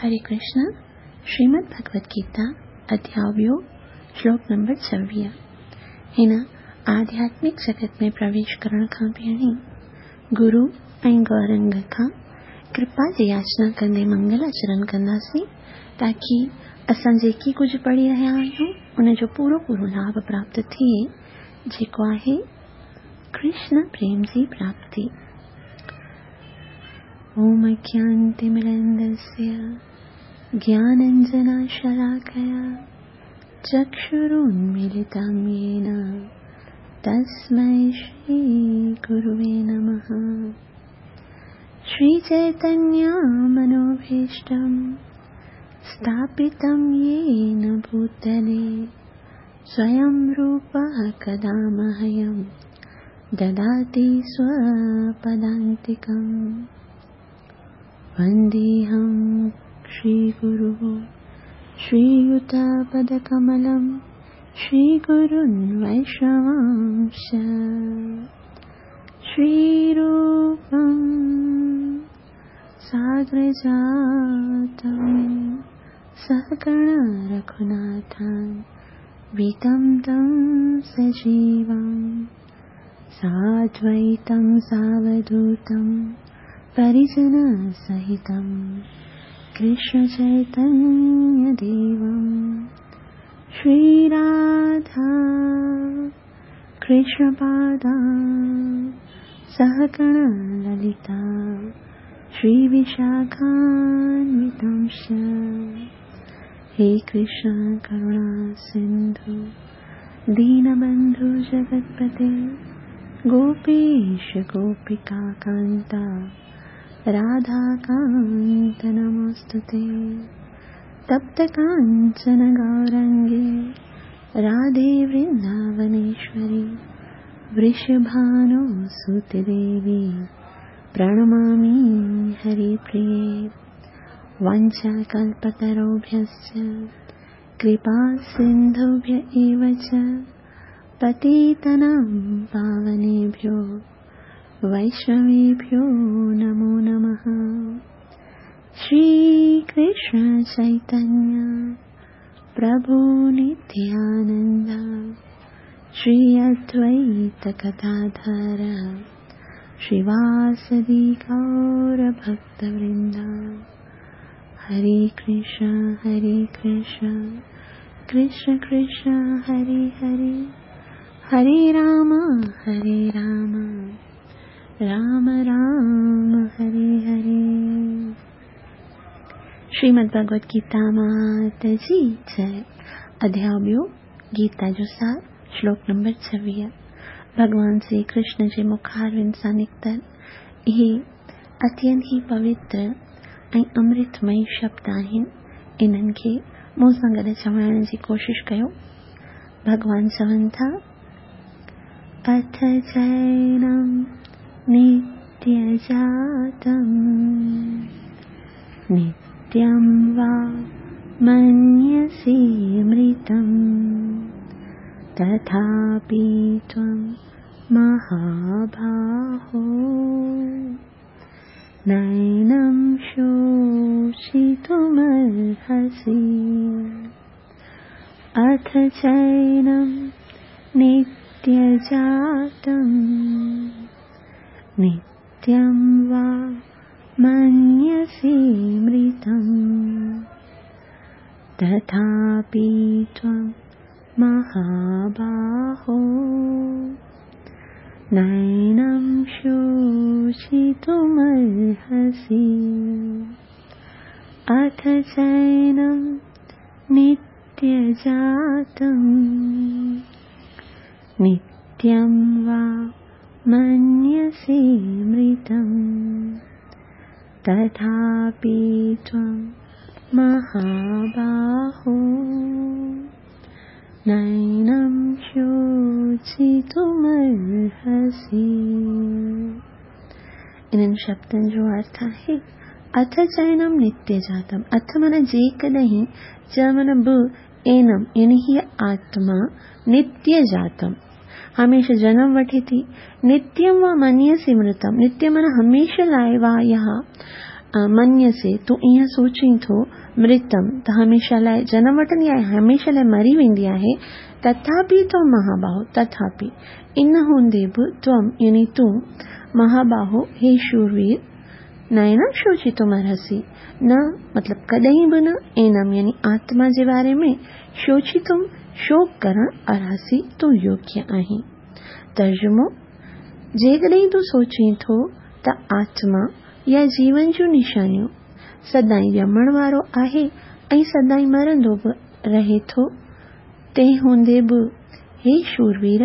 हरे कृष्ण। श्रीमद् भगवत गीता अध्याय ॿियो, श्लोक नंबर 26। हिन आध्यात्मिक जगत में प्रवेश करण खां पहिरीं गुरु ऐं गौरंग खां कृपा जी याचना कंदे मंगल आचरण कंदासीं, ताकी असां जेकी कुझु पढ़ी रहिया आहियूं उनजो पूरो पूरो लाभ प्राप्त थिए, जेको आहे कृष्ण प्रेम जी प्राप्ति। ॐ अज्ञानतिमिरन्दस्य ज्ञानाञ्जनशलाकया चक्षुरुन्मीलितं येन तस्मै श्रीगुरुवे नमः। श्रीचैतन्यमनोभीष्टं स्थापितं येन भूतले स्वयं रूपः कदा मह्यं ददाति स्वपदान्तिकम्। वन्देऽहं श्रीगुरुः श्रीयुतपदकमलं श्रीगुरुन् वैष्णवांश्च। श्रीरूपं साग्रजातं सहगण रघुनाथान्वितं तं सजीवं साद्वैतं सावधूतं परिजनसहितं कृष्णचैतन्यदेवं। श्रीराधा कृष्णपादा सहगण ललिता श्रीविशाखान्वितांश्च। हे कृष्ण करुणा सिन्धु दीनबन्धु जगत्पते गोपीश गोपिका कान्ता राधाकान्त नमोऽस्तुते। तप्त काञ्चन गौरङ्गे राधे वृन्दावनेश्वरी वृषभानुसुते देवी प्रणमामि हरिप्रिये। वाञ्छाकल्पतरुभ्यश्च कृपा सिन्धुभ्य एव च पतितानां पावनेभ्यो वैष्णवेभ्यो नमो नमः। श्रीकृष्ण चैतन्य प्रभु नित्यानन्द श्री अद्वैत गदाधर श्रीवासदि गौरभक्तवृन्द। हरे कृष्ण कृष्ण कृष्ण हरे हरे, हरे राम राम राम हरे हरे। श्रीमद् भगवत गीता मात जी जय। अध्याय ॿियो, गीता जो सार, श्लोक नंबर 26। भॻवान श्री कृष्ण जे मुखारविंद सां निकितल इहे अत्यंत ई पवित्र ऐं अमृतमयी शब्द आहिनि। इन्हनि खे मूं सां गॾु चवण जी कोशिश कयो। भॻवान चवनि था, अथ चैनं नित्यजातं नित्यं वा मन्यसे मृतं तथापि त्वं महाबाहो नैनं शोषितुमर्हसि। अथ चैनं नित्यजातं नित्यं वा मन्यसे मृतं तथापि त्वं महाबाहो नैनं शोषितुमर्हसि। अथ चैनं नित्यजातं नित्यं वा मन्यसे मृतं तथापि त्वं महाबाहो नैनं शोषितुमर्हसि। इन्हनि शब्दनि जो अर्थ आहे अथ चैनम नित्य जातम। अथ माना जेकॾहिं, च माना बि, एनम यानी हीअ आत्मा नित्य जातम हमेशह जनम वठे थी। नित्यम वा मन्यसि मृतम, नित्य माना हमेशह लाइ वा इहा मन्यसे, तूं ईअं सोचीं थो, मृतम, त हमेशह लाइ जनम वठंदी आहे, हमेशह लाइ मरी वेंदी आहे, तथापि त्वं महाबाहो, तथापि इन हूंदे बि, त्वं यानी तूं, महाबाहो हे शूरवीर, नैनम शोचितुमर्हसि, न मतिलबु कॾहिं बि न, एनम यानी आत्मा जे बारे में, शोचितुम शोक करणु, अर्हसि तूं योग्य आहीं। तर्जुमो, जेकॾहिं तूं सोचीं थो त आत्मा या जीवन जूं निशानियूं सदाईं ॼमण वारो आहे ऐं सदाईं मरंदो बि रहे थो, तंहिं हूंदे बि हे शूरवीर,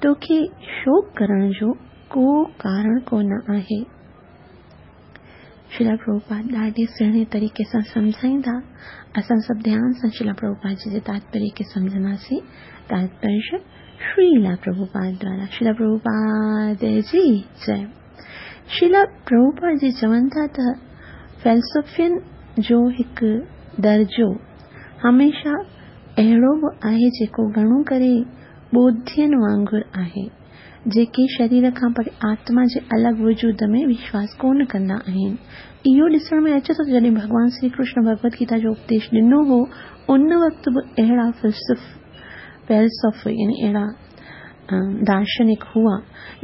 तोखे शोक करण जो को कारण कोन आहे। श्रील प्रभुपाद ॾाढे सुहिणे तरीक़े सां सम्झाईंदा। असां सभु ध्यान सां श्रील प्रभुपाद जी जे तात्पर्य खे सम्झंदासीं। तात्पर्य श्रील प्रभुपाद द्वारा। श्रील प्रभुपाद जी जय। श्रील प्रभुपाद जी चवनि था त फ़िलॉसफ़ियुनि जो हिकु दर्जो हमेशह अहिड़ो बि आहे जेको घणो करे ॿोधियनि वांगुरु आहे, जेके शरीर खां परे आत्मा जे अलॻि वजूद में विश्वास कोन कंदा आहिनि। इहो ॾिसण में अचे थो जॾहिं भॻवान श्री कृष्ण भगवत गीता जो उपदेश ॾिनो हो, उन वक़्तु बि अहिड़ा फ़िलॉसफ़ यानी अहिड़ा दार्शनिक हुआ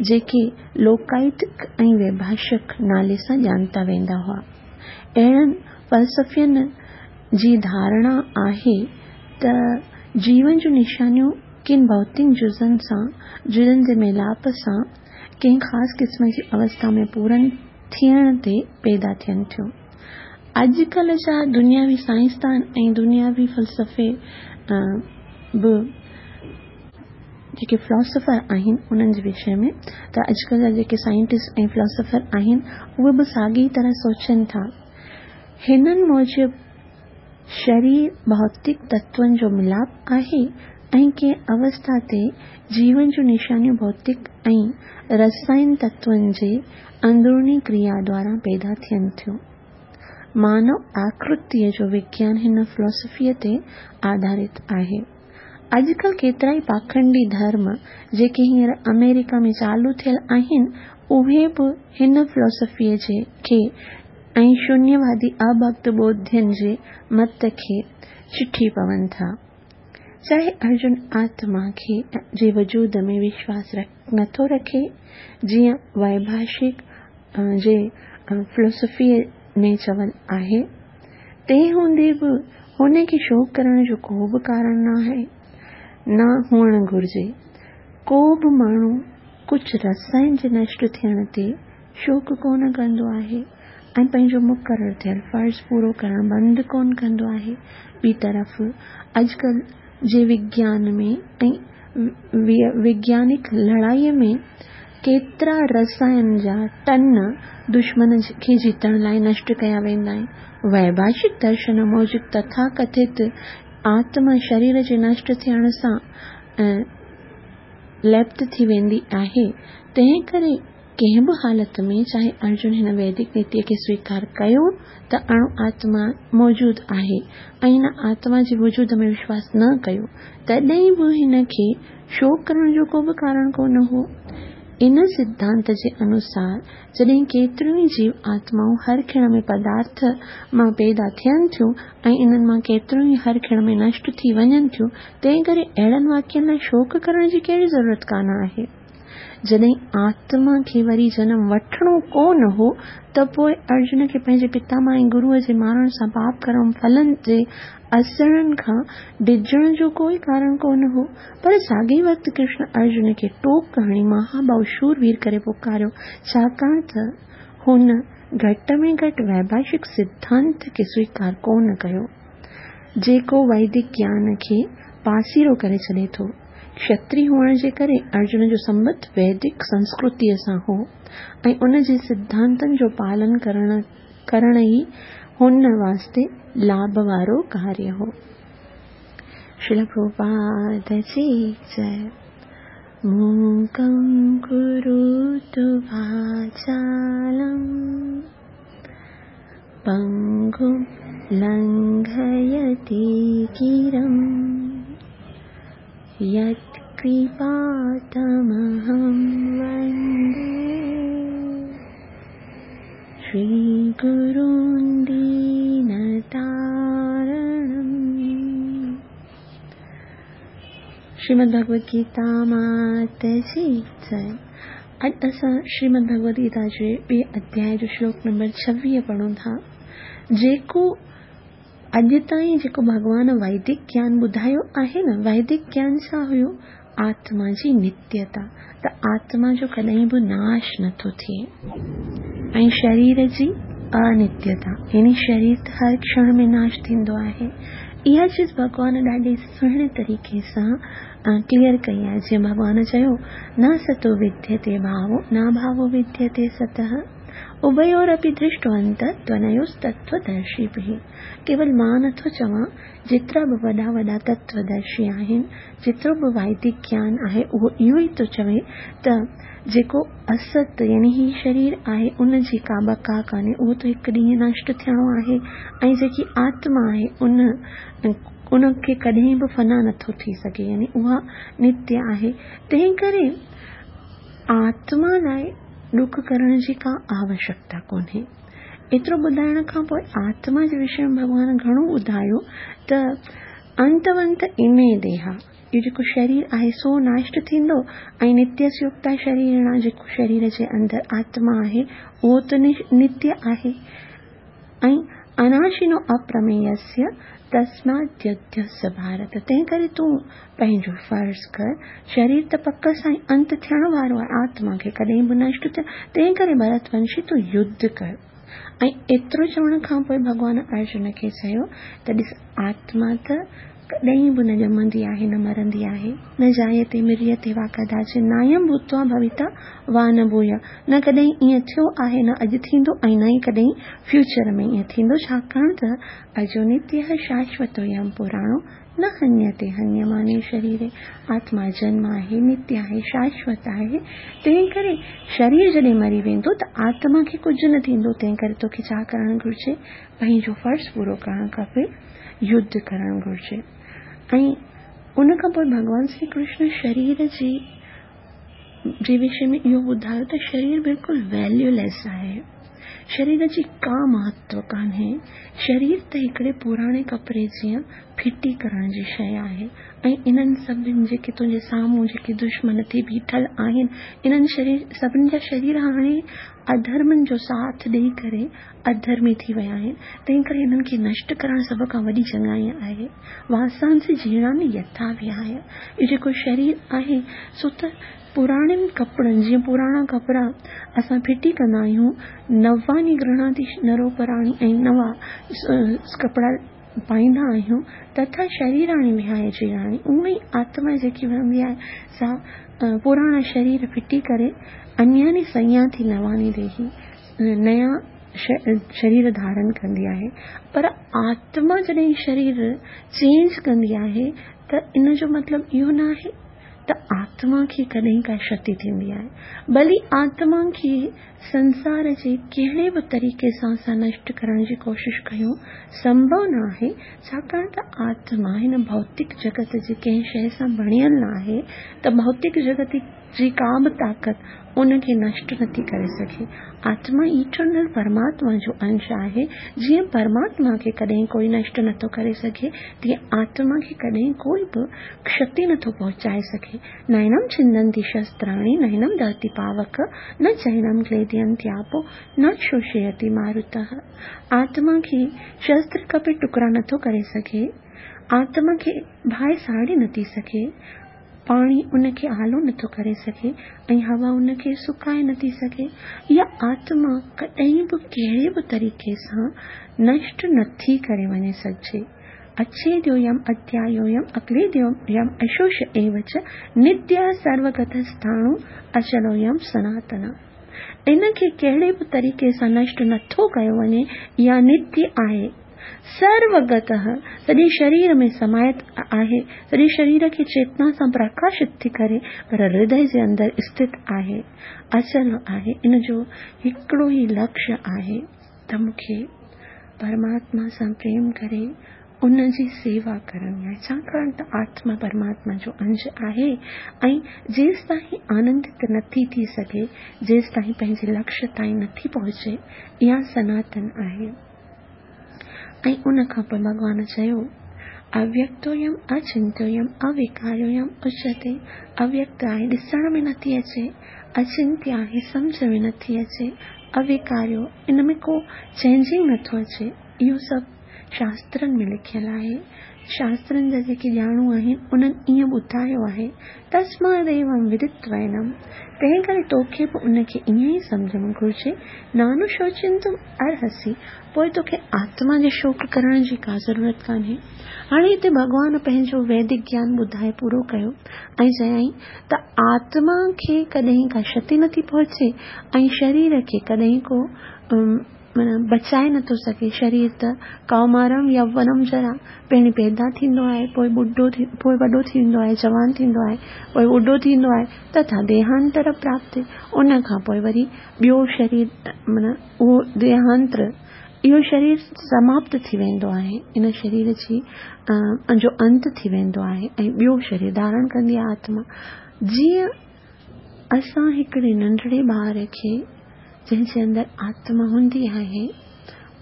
जेके लोकायतिक ऐं वैभाषिक नाले सां ॼाणता वेंदा हुआ। अहिड़नि फ़लसफ़ियुनि जी धारणा आहे त जीवन जूं निशानियूं किन भौतिक जुज़नि सां, जुज़नि जे मिलाप सां कंहिं ख़ासि क़िस्म जी अवस्था में पूरनि थियण ते पैदा थियनि थियूं। अॼुकल्ह जा दुनियावी साइंसदान ऐं दुनियावी फ़लसफ़े बि जेके फिलॉसफर आहिनि उन्हनि जे विषय में त अॼुकल्ह जा जेके साइंटिस्ट ऐं फिलॉसफर आहिनि उहे बि साॻी तरह सोचनि था। हिननि मूजिबि शरीर भौतिक तत्वनि जो मिलाप आहे ऐं कंहिं अवस्था ते जीवन जूं निशानियूं भौतिक ऐं रसायन तत्वनि जे अंदरूनी क्रिया द्वारा पैदा थियनि थियूं। मानव आकृतीअ जो विज्ञान हिन फिलॉसफीअ ते आधारित आहे। अॼुकल्ह केतिरा ई पाखंडी धर्म जेके हींअर अमेरिका में चालू थियल आहिनि, उहे बि हिन फिलॉसफीअ खे ऐं शून्यवादी अभक्त ॿोधियनि जे मत खे चिठी पवनि था। चाहे अर्जुन आत्मा खे जे वजूद में विश्वास नथो रखे, जीअं वैभाषिक जे फिलॉसफीअ में चवल आहे, तंहिं हूंदे बि हुनखे शोक करण जो को बि कारण न हुअणु घुरिजे। को बि माण्हू कुझु रसायन जे नष्ट थियण ते शोक कोन कंदो आहे ऐं पंहिंजो मुक़ररु थियल फ़र्ज़ पूरो करणु बंदि कोन कंदो आहे। ॿी तरफ़ अॼुकल्ह जे विज्ञान में ऐं वैज्ञानिक लड़ाईअ में केतिरा रसायन जा टन दुश्मन खे जीतण लाइ नष्ट कया वेंदा आहिनि। वैभाषिक दर्शन मूजिबि तथाकथित आत्मा शरीर जे नष्ट थियण सां लिप्त थी वेंदी आहे, तंहिं करे कंहिं बि हालत में चाहे अर्जुन हिन वैदिक नीतीअ खे स्वीकार कयो त अणु आत्मा मौजूदु आहे ऐं हिन आत्मा जे वजूद में विश्वास न कयो, तॾहिं बि हिन खे शोक करण जो को बि कारण कोन हो। इन सिद्धांत जे अनुसार जॾहिं केतिरियूं ई जीव आत्माऊं हर खिण में पदार्थ मां पैदा थियनि थियूं ऐं इन्हनि मां केतिरियूं ई हर खिण में नष्ट थी वञनि थियूं, तंहिं करे अहिड़नि वाक्यनि लाइ शोक करण जी कहिड़ी ज़रूरत कान आहे। जॾहिं आत्मा खे वरी जनम वठिणो कोन हो त पोइ अर्जुन खे पंहिंजे पितामह ऐं गुरूअ जे मारण सां पाप कर्म फलनि जे असरनि खां डिॼण जो कोई कारण कोन हो। पर साॻे वक़्तु कृष्ण अर्जुन खे टोक हणी महाबाहु शूरवीर करे पुकारियो, छाकाणि त हुन घटि में घटि वैभाषिक सिद्धांत खे स्वीकार कोन कयो, जेको वैदिक ज्ञान खे पासीरो करे छॾे थो। क्षत्रिय हुअण जे करे अर्जुन जो संबंध वैदिक संस्कृतीअ सां हो ऐं उन जे सिद्धांतनि जो पालन करण ई हुन वास्ते लाभ वारो कार्य हो। श्रील प्रभुपाद जी जय। मूकं करोतु वाचालं पंगुं लंघयति गिरिं यत्कृपातमहं वन्दे श्रीगुरुं दीनतारणम्। श्रीमद् भगवद गीता मात जी जय। अॼु असां श्रीमद् भगवद गीता जे ॿिए अध्याय जो श्लोक नंबर 26 पढ़ूं था। जेको अॼु ताईं जेको भॻवान वैदिक ज्ञान ॿुधायो आहे न, वैदिक ज्ञान छा हुयो? आत्मा जी नित्यता, त आत्मा जो कॾहिं बि नाश नथो थिए, ऐं शरीर जी अनित्यता, यानी शरीर त हर क्षण में नाश थींदो आहे। इहा चीज़ भॻवान ॾाढे सुहिणे तरीक़े सां क्लियर कई आहे। जीअं भॻवान चयो, न सतो विद्यते भावो न भावो विद्यते सतः, उभयोरपि दृष्टवन्त त्वनयोस्तत्त्वदर्शिभिः। केवल मां नथो चवां, जेतिरा बि वॾा वॾा तत्वदर्शी आहिनि, जेतिरो बि वैदिक ज्ञान आहे, उहो इहो ई थो चवे त जेको असत यानी ही शरीर आहे उन जी का बका कान्हे, उहो त हिकु ॾींहुं नष्ट थियणो आहे, ऐं जेकी आत्मा आहे उनखे कॾहिं बि फना नथो थी सघे, यानी उहा नित्य आहे। तंहिं करे आत्मा लाइ ॾुख करण जी का आवश्यकता कोन्हे। एतिरो ॿुधाइण खां पोइ आत्मा जे विषय में भॻवान घणो ॿुधायो त अंतवंत इमे देहा, इहो जेको शरीर आहे सो नष्ट थींदो, ऐं नित्यस्योक्ता शरीर जेको शरीर जे अंदरि आत्मा आहे उहो त नित्य आहे, ऐं अनाशिनो अप्रमेयस्य तस्माद्युध्यस्य भारत। तंहिं करे तूं पंहिंजो फ़र्ज़ कर, शरीर त पक सां अंत थियण वारो आहे, आत्मा खे कॾहिं बि नष्ट थियण, तंहिं करे भरतवंशी तूं युद्ध कर। ऐं एतिरो चवण खां पोइ भॻवान अर्जुन खे चयो त ॾिस, आत्मा त कॾहिं बि न ॼमंदी आहे न मरंदी आहे, न जायते म्रियते वा कदाचित, नायं भूत्वा भविता वा न भूय, न कॾहिं ईअं थियो आहे न अॼु थींदो ऐं न ई कॾहिं फ्यूचर में ईअं थींदो, छाकाणि त अजो नित्य शाश्वतोऽयं पुराणो न हन्यते हन्यमाने शरीरे। आत्मा जन्म आहे, नित्य आहे, शाश्वत आहे, तंहिं करे शरीर जॾहिं मरी वेंदो त आत्मा खे कुझु न थींदो। तंहिं करे तोखे छा करणु घुरिजे? पंहिंजो फ़र्ज़ पूरो करणु खपे, युद्ध करणु घुरिजे। ऐं उन खां पोइ भॻवान श्री कृष्ण शरीर जे विषय में इहो ॿुधायो त शरीर बिल्कुलु वैल्यूलेस आहे, शरीर जी का महत्व कान्हे, शरीर त हिकिड़े पुराणे कपिड़े जीअं फिटी करण जी शइ आहे, ऐं इन्हनि सभिनी जेके तुंहिंजे साम्हूं जेके दुश्मन थी बीठल आहिनि, इन्हनि शरीर सभिनी जा शरीर हाणे अधर्मनि जो साथ ॾेई करे अधर्मी थी विया आहिनि, तंहिं करे इन्हनि खे नष्ट करण सभ खां वॾी चङाई आहे। वासांसि जीर्णानि यथा विहाय, इहो जेको शरीर आहे सो त पुराणनि कपिड़नि जीअं पुराणा कपिड़ा असां फिटी कंदा आहियूं, नवानी गृह्णाति नरोपराणी ऐं नवां कपिड़ा पाईंदा आहियूं, तथा शरीराणी विहाय जीर्णानि, उअं ई आत्मा जेकी वहंदी आहे सा पुराणा शरीर फिटी करे अन्यानि संयाति नवानी देही, नया शरीर धारण कंदी आहे। पर आत्मा जॾहिं शरीर चेंज कंदी आहे त इन जो मतिलबु इहो न आहे त आत्मा खे कॾहिं का क्षति थींदी आहे, भली आत्मा खे संसार जे कहिड़े बि तरीक़े सां असां नष्ट करण जी कोशिशि कयूं संभव न आहे, छाकाणि त आत्मा हिन भौतिक जगत जी कंहिं शइ सां बणियल न आहे, त भौतिक जगत जी का बि ताक़त उनखे नष्ट नथी करे सघे। आत्मा इटर्नल परमात्मा जो अंश आहे, जीअं परमात्मा खे कॾहिं कोई नष्ट नथो करे सघे, तीअं आत्मा खे कॾहिं कोई बि क्षति नथो पहुचाए सघे। नैनम छिन्दन्ति शस्त्राणि नैनम दहति पावक, न चैनम क्लेदयन्त्यापो न शोषयति मारुतः। आत्मा खे शस्त्र कपे टुकड़ा नथो करे सघे, आत्मा खे बाहि साड़े नथी सघे, पाणी उनखे आलो नथो करे सघे ऐं हवा उनखे सुकाए नथी सघे। इहा आत्मा कॾहिं बि कहिड़े बि तरीक़े सां नष्ट नथी करे वञे सघिजे। अच्छेद्योऽयम् अध्यायोऽयम् अक्लेद्योऽयम् अशोष एव च नित्य सर्वगतस्थाणु अचलोऽयं सनातन। इनखे कहिड़े बि तरीक़े सां नष्ट नथो कयो वञे, इहा नित्य आहे, सर्वगतः सॼे शरीर में समायत आहे, सॼे शरीर खे चेतना सां प्रकाशित थी करे, पर हृदय जे अंदरि स्थित आहे, अचल आहे। इन जो हिकिड़ो ई लक्ष्य आहे त मूंखे परमात्मा सां प्रेम करे ان جي سيوا ڪرڻي آهي، ڇاڪاڻ ته آتما پرماتما جو انش آهي ۽ جيستائين آنندت نٿي ٿي سگهي، جيستائين پنهنجي لڪشيه تائين نٿي پهچي، اها سناتن آهي. ۽ ان کان پوء ڀڳوان چيو، اويڪتويم اچنتيويم اويڪاريويم اچيتي، اويڪت آهي، ڏسڻ ۾ نٿي اچي، اچنتيه آهي، سمجهه ۾ نٿي اچي، اويڪاريو، ان ۾ ڪو چينجنگ نٿو اچي، اهو سڀ شاسترن ۾ لکيل آهي. شاسترن جا جيڪي ڄاڻو آهن، انهن ائين ٻڌايو آهي، تسماديوم ودتوينم، تنهن ڪري توکي به ان کي ائين ئي سمجهڻ گهرجي، نانوشوچنتم ارهسي، پوء توکي آتما جي شوڪ ڪرڻ جي ڪا ضرورت ڪانهي. هاڻي هتي ڀڳوان پنهنجو ويدڪ گيان ٻڌائي پورو ڪيو ۽ چيائين ته آتما کي ڪڏهن ڪا شتي نٿي پهچي ۽ شرير کي ڪڏهن ڪو معنيٰ بچائي نٿو سگهي. شرير ته ڪومارم يوونم جرا، پهرين پيدا ٿيندو آهي، پوء ٻڍو ٿي، پوء وڏو ٿيندو آهي، جوان ٿيندو آهي، پوء ٻڍو ٿيندو آهي، تٿا ديهانتر پراپتي، ان کان پوء وري ٻيو شرير معنيٰ اهو ديهانتر، اهو شرير سماپت ٿي ويندو آهي، ان شرير جي جو انت ٿي ويندو آهي ۽ ٻيو شرير ڌارڻ ڪندي آهي آتما. جيئن اسان هڪڙي ننڍڙي ٻار کي جنهن جي اندر آتما هوندي آهي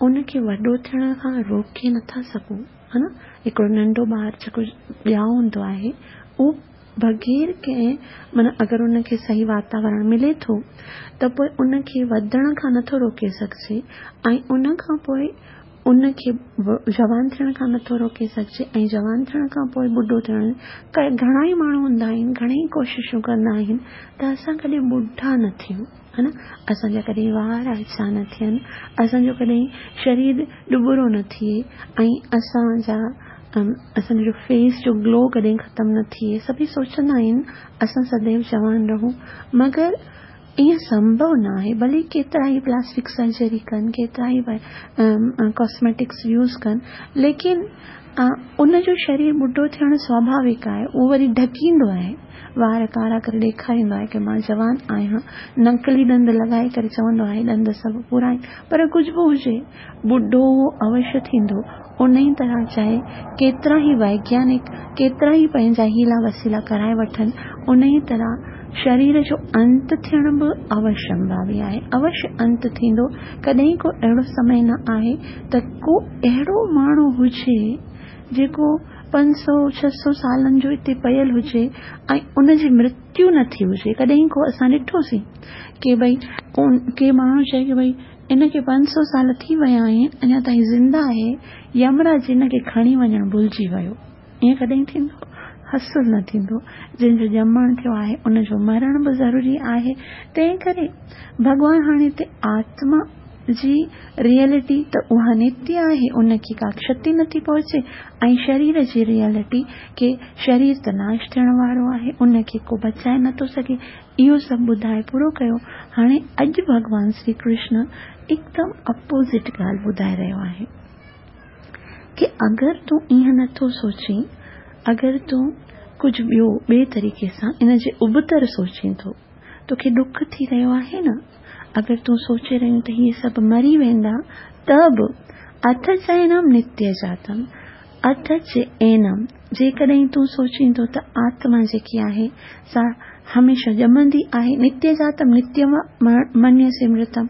ان کي وڏو ٿيڻ کان روڪي نٿا سگهون ها نه هڪڙو ننڍو ٻار جيڪو ڄائو هوندو آهي اهو بغير ڪنهن معنيٰ اگر ان کي صحيح واتاورڻ ملي ٿو ته پوء ان کي وڌڻ کان نٿو روڪي سگهجي ۽ ان کان پوء ان کي جوان ٿيڻ کان نٿو روڪي سگهجي ۽ جوان ٿيڻ کان پوء ٻڍو ٿيڻ گهڻا ئي ماڻهو هوندا آهن گهڻي ئي ڪوششون ڪندا آهن ته اسان ڪڏهن ٻڍا نه ٿيون ها نه اسان جا ڪڏهن وار اڇا نه ٿين اسان جو ڪڏهن شرير ڏٻرو نه ٿئي ۽ اسان جا اسان جو فيس جو گلو ڪڏهن ختم نه ٿئي سڀئي سوچندا آهن اسان سديو جوان رهون مگر ائين سنڀو ناهي، ڀلي ڪيترا ئي پلاسٽڪ سرجري ڪن، ڪيترا ئي ڪاسميٽڪس يوز ڪن، ليڪن ان جو شرير ٻڍو ٿيڻ سواڀاوڪ آهي، اهو وري ڍڪيندو آهي، وار ڪارا ڪري ڏيکاريندو آهي ڪي مان جوان آهيان، نقلي ڏند لڳائي ڪري چوندو آهي ڏند سڀ پورا آهن، پر ڪجهه به هجي ٻڍو اهو اوشيه ٿيندو، انهي طرح چاهي ڪيترا ئي ويگيانڪ ڪيترا ئي پنهنجا حيلا وسيلا ڪرائي وٺن، انهي طرح شرير جو انت ٿيڻ به اوشمڀاوي آهي، اوشيه انت ٿيندو، ڪڏهن ڪو اهڙو سمي نه آهي ته ڪو اهڙو ماڻهو هجي جيڪو 500 600 سالن جو اتي پيل هجي ۽ ان جي مرتيو نه ٿي هجي، ڪڏهن ڪو اسان ڏٺوسين ڪي ڀئي ڪي ماڻهو چئي ڪي ڀئي ان کي 500 سال ٿي ويا آهن، اڃا تائين زنده آهي، يمراج ان کي کڻي وڃڻ ڀلجي ويو. ائين ڪڏهن ٿيندو؟ اصل نه ٿيندو. جنهن جو ڄمڻ ٿيو آهي، ان جو مرڻ به ضروري آهي. تنهن ڪري ڀڳوان هاڻي هتي آتما جي ريئلٽي ته اها نتيه آهي، ان کي ڪا ڪشتي نٿي پهچي ۽ شرير جي ريئلٽي ڪي شرير ته ناش ٿيڻ وارو آهي، ان کي ڪو بچائي نٿو سگهي. اهو سڀ ٻڌائي پورو ڪيو. هاڻي اڄ ڀڳوان شري ڪرشن هڪدم اپوزٽ ڳالهه ٻڌائي رهيو آهي ڪي اگر تون ائين نه ٿو سوچين، اگر تون ڪجهه ٻيو ٻئي طريقي سان ان جي ابتر سوچين ٿو، توکي ڏک ٿي رهيو آهي نه؟ اگر تون سوچي رهيون ته هي سڀ مري ويندا ته به اٿ چئنم نتيه جاتم اٿ چ اينم، جيڪڏهن تون سوچين ٿو ته آتما جيڪي آهي سا هميشه ڄمندي آهي، نتيه جاتم نتيه منيسي مرتم،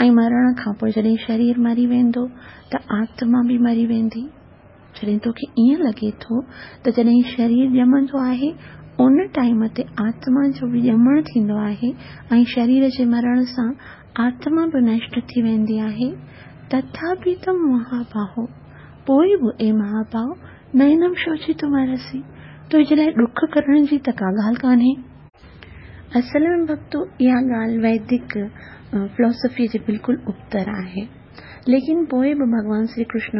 ۽ مرڻ کان پوء جڏهن شرير مري ويندو ته آتما به مري ويندي. جڏهن توکي ائين لڳي ٿو ته جڏهن شرير ڄمندو آهي ان ٽائيم تي آتما جو به ڄمڻ ٿيندو آهي ۽ شرير جي مرڻ سان آتما به نشٽ ٿي ويندي آهي، تٿاپي تم مهاباهو، پوء به اي مهاباهو، نينم شوچيتم ارهسي، تنهنجي لاء ڏک ڪرڻ جي ته ڪا ڳالهه ڪانهي. اصل ۾ ڀڳتو اها ڳالهه ويدڪ فلاسافيء جي بلڪل ابتر آهي. ليڪن پوء به ڀڳوان شري ڪرشن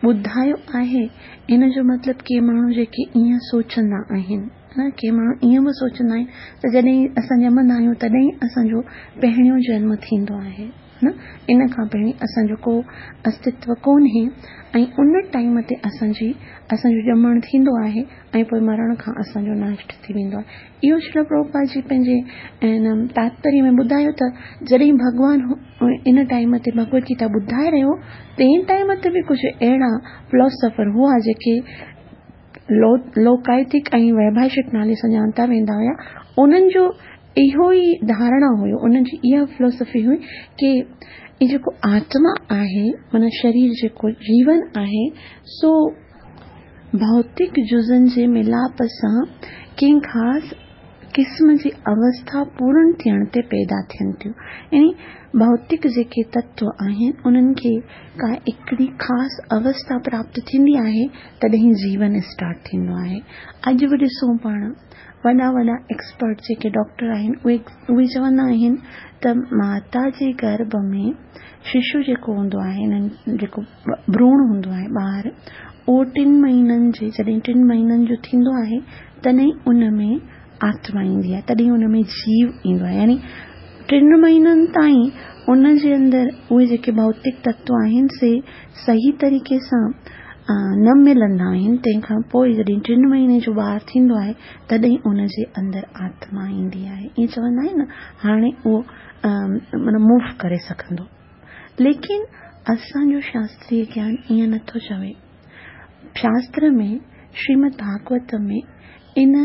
ٻڌايو آهي، ان جو مطلب ڪي ماڻهو جيڪي ائين سوچندا آهن، ڪي ماڻهو ائين به سوچندا آهن ته جڏهن اسان ڄمندا آهيون تڏهن ئي اسان جو پهريون جنم ٿيندو آهي. نه ان کان پهرين اسان جو ڪو استتو ڪونهي ۽ ان ٽائيم تي اسان جي اسان جو ڄمڻ ٿيندو آهي ۽ پوء مرڻ کان اسان جو ناش ٿي ويندو آهي. اهو شريل پرڀوپاد جي پنهنجي ان تاتپريه ۾ ٻڌايو ته جڏهن ڀڳوان ان ٽائيم تي ڀڳوت گيتا ٻڌائي رهيو هو تنهن ٽائيم تي به ڪجهه اهڙا فلاسافر هئا جيڪي لوڪايتڪ ۽ ويڀاشڪ نالي سان ڄاڻتا ويندا هيا انهن جو اهو ئي ڌارڻا هيو انهن جي اها فلاسافي هئي ڪي هي جيڪو آتما آهي معنيٰ شرير جيڪو جيون آهي سو ڀوتڪ جزن جي ملاپ سان ڪنهن خاص قسم جي اوسٿا پورڻ ٿيڻ تي پيدا ٿين ٿيون يعني ڀوتڪ جيڪي تتو آهن انهن کي ڪا هڪڙي خاص اوسٿا پراپت ٿيندي آهي تڏهن جيون اسٽارٽ ٿيندو آهي اڄ به ڏسون پاڻ وڏا وڏا ايڪسپرٽ جيڪي ڊاڪٽر آهن اهي اهي چوندا آهن ته ماتا جي گرڀ ۾ ششو جيڪو هوندو آهي جيڪو ڀروڻ هوندو آهي ٻار اهو ٽن مهينن جي جڏهن ٽن مهينن جو ٿيندو آهي تڏهن ان ۾ آتما ايندي آهي تڏهن ان ۾ جيو ايندو آهي يعني ٽن مهينن تائين ان جي اندر اهي جيڪي ڀوتڪ تتو آهن سي صحيح طريقي سان نه ملندا آهن تنهن کان پوء جڏهن ٽن مهيني جو ٻار ٿيندو آهي تڏهن ان جي اندر آتما ايندي آهي ائين چوندا آهن نه هاڻي اهو معنيٰ موو ڪري سگهندو ليڪن اسان جو شاستري گيان ائين نٿو چوي شاستر ۾ شريمد ڀاڳوت ۾ ان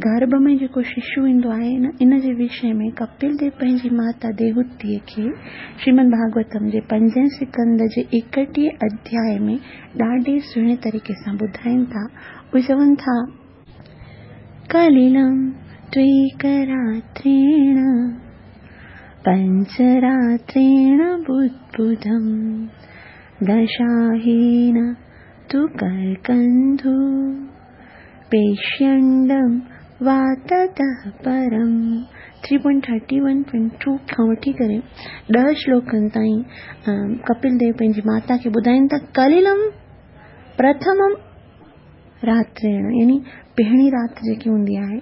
گرڀ ۾ جيڪو ششو ايندو آهي نه ان جي وشي ۾ ڪپل ديو پنهنجي ماتا ديوهوتيء کي شريمد ڀاڳوتم جي پنجين سڪنڌ جي ايڪٽيهين اڌياء ۾ ڏاڍي سهڻي طريقي سان ٻڌائين ٿا. اهي چون ٿا. ڪليلم ٽيڪراتريڻ پنچراتريڻ بڌبڌم دشاهين تو ڪرڪنڌو پيشينڊم وا تتः پرم 3.31.2 کان وٺي ڪري ڏهه شلوڪن تائين ڪپل ديو پنهنجي ماتا کي ٻڌائين ٿا ڪليلم پرٿمم راتريڻ يعني پهرين رات جيڪي هوندي آهي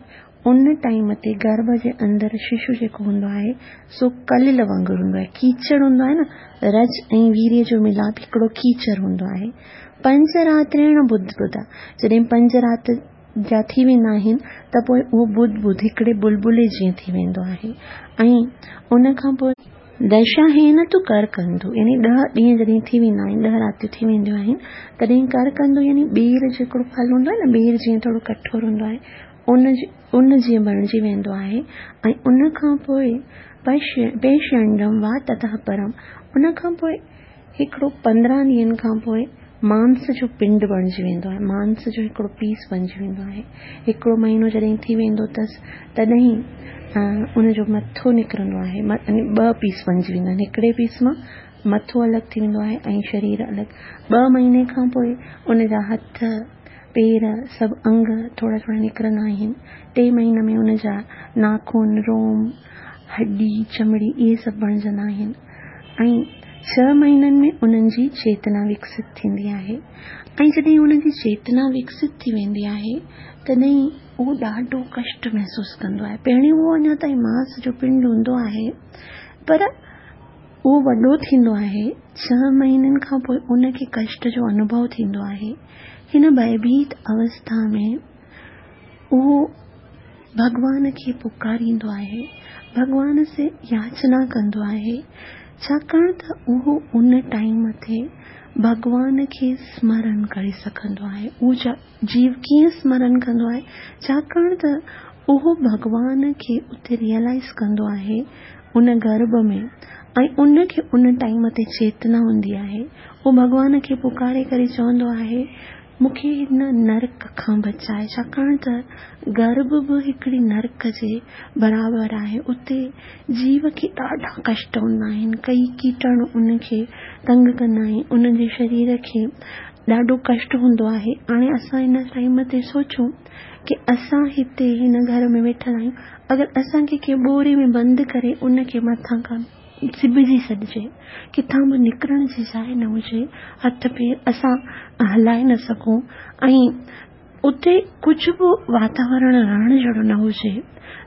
ان ٽائيم تي گرڀ جي اندر ششو جيڪو هوندو آهي سو ڪليل وانگر هوندو آهي ڪيچڙ هوندو آهي نه رج ۽ ويري جو ملاپ هڪڙو ڪيچڙ هوندو آهي پنج راتريڻ ٻڌ ٻڌ جڏهن پنج رات جا ٿي ويندا آهن ته پوء اهو ٻڌ ٻڌ هڪڙي بلبلي جيئن ٿي ويندو آهي ۽ ان کان پوء دشا هين تو ڪر ڪندو يعني ڏهه ڏينهن جڏهن ٿي ويندا آهن ڏهه راتيون ٿي وينديون آهن تڏهن ڪر ڪندو يعني ٻير جو هڪڙو ڦل هوندو آهي نه ٻير جيئن ٿورو ڪٺور هوندو آهي ان جي ان جيئن بڻجي ويندو آهي ۽ ان کان پوء پيشنڊم وا تتهه پرم ان کان پوء هڪڙو 15 ڏينهن کان پوء مانس جو پنڊ بڻجي ويندو آهي مانس جو هڪڙو پيس بڻجي ويندو آهي هڪڙو مهينو جڏهن ٿي ويندو اٿس تڏهن ان جو مٿو نڪرندو آهي يعني ٻه پيس بڻجي ويندا آهن هڪڙي پيس مان مٿو الڳ ٿي ويندو آهي ۽ شرير الڳ ٻه مهيني کان پوء ان جا هٿ پير سڀ انگ ٿورا ٿورا نڪرندا آهن ٽي مهيني ۾ ان جا ناخن روم هڏي چمڙي اهي سڀ بڻجندا آهن ۽ ڇهه مهينن ۾ انهن جي چيتنا وڪست ٿيندي آهي ۽ جڏهن انهن جي چيتنا وڪست ٿي ويندي آهي تڏهن اهو ڏاڍو ڪشٽ محسوس ڪندو آهي پهرين اهو اڃا تائين ماس جو پنڊ هوندو آهي پر اهو وڏو ٿيندو آهي ڇهه مهينن کان پوء ان کي ڪشٽ جو انوڀو ٿيندو آهي هن ڀئڀيت اوسٿا ۾ اهو ڀڳوان کي پڪاريندو آهي، ڀڳوان سي ياچنا ڪندو آهي، ڇاڪاڻ ته اهو ان ٽائيم تي ڀڳوان کي سمرن ڪري سگهندو آهي. اهو جيو ڪيئن سمرن ڪندو آهي؟ ڇاڪاڻ ته اهو ڀڳوان کي اتي ريئلائيز ڪندو آهي ان گرڀ ۾ ۽ ان کي ان ٽائيم تي چيتنا هوندي آهي. اهو ڀڳوان کي پڪاري ڪري چوندو آهي مون کي هن نرڪ کان بچاء، ڇاڪاڻ ته گرڀ به هڪڙي نرڪ جي برابر آهي، اتي جيو کي ڏاڍا ڪشٽ هوندا آهن، ڪئي ڪيٽاڻو ان کي تنگ ڪندا آهن، ان جي شرير کي ڏاڍو ڪشٽ هوندو آهي، هاڻي اسان هن ٽائيم تي سوچون ڪي اسان هتي هن گهر ۾ ويٺل آهيون، اگر اسان کي ڪنهن ٻوري ۾ بند ڪري ان کي مٿان کان. سبجي ڇڏجي، ڪٿان به نڪرڻ جي جاء نه هجي، هٿ پير اسان هلائي نه سگهون ۽ اتي ڪجهه به واتاورڻ رهڻ جهڙو نه هجي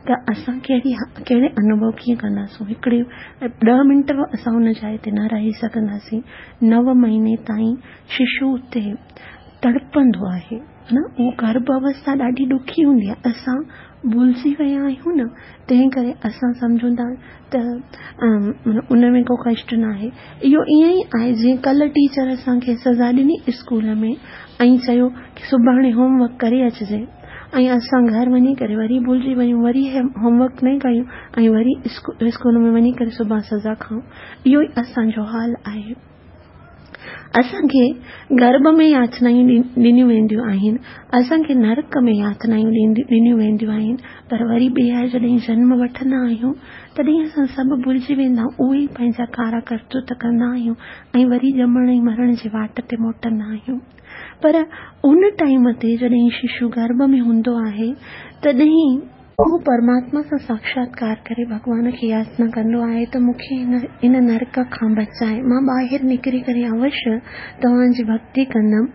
ته اسان ڪهڙي ڪهڙي انوڀو ڪيئن ڪنداسون؟ هڪڙي ڏهه منٽ به اسان ان جاء تي نه رهي سگهنداسين. نو مهيني تائين ششو اتي تڙپندو آهي نه اهو گرڀ اوسٿا ڏاڍي ڏکي هوندي آهي. اسان ڀلجي ويا آهيون نه تنهن ڪري اسان سمجهون ٿا ته ان ۾ ڪو ڪشٽ ناهي. اهو ائين ئي آهي جيئن ڪلهه ٽيچر اسان کي سزا ڏني اسڪول ۾ ۽ چيو ڪي سڀاڻي هوم ورڪ ڪري اچجي ۽ اسان گهر وڃي ڪري وري ڀلجي وڃون وري هوم ورڪ نه ڪيون ۽ وري اسڪول ۾ وڃي ڪري سڀان سزا کائون. اهو ئي اسان جو حال آهي. اسان کي گرڀ ۾ ياتنائون ڏنيون وينديون آهن، اسان کي نرڪ ۾ ياتنائون ڏنيون وينديون آهن، پر وري ٻيهر جڏهن جنم وٺندا آهيون، تڏهن اسان سڀ ڀلجي ويندا آهيون، اهي ئي پنهنجا ڪارا ڪرتوت ڪندا آهيون ۽ وري ڄمڻ ۽ مرڻ جي واٽ تي موٽندا آهيون. پر ان ٽائيم تي جڏهن ششو گرڀ ۾ هوندو آهي، تڏهن. هو پرماتما سان ساڪشاتڪار ڪري ڀڳوان کي ياچنا ڪندو آهي ته مون کي هن نرڪ کان بچاء، مان ٻاهر نڪري ڪري اوشيه توهان جي ڀڳتي ڪندم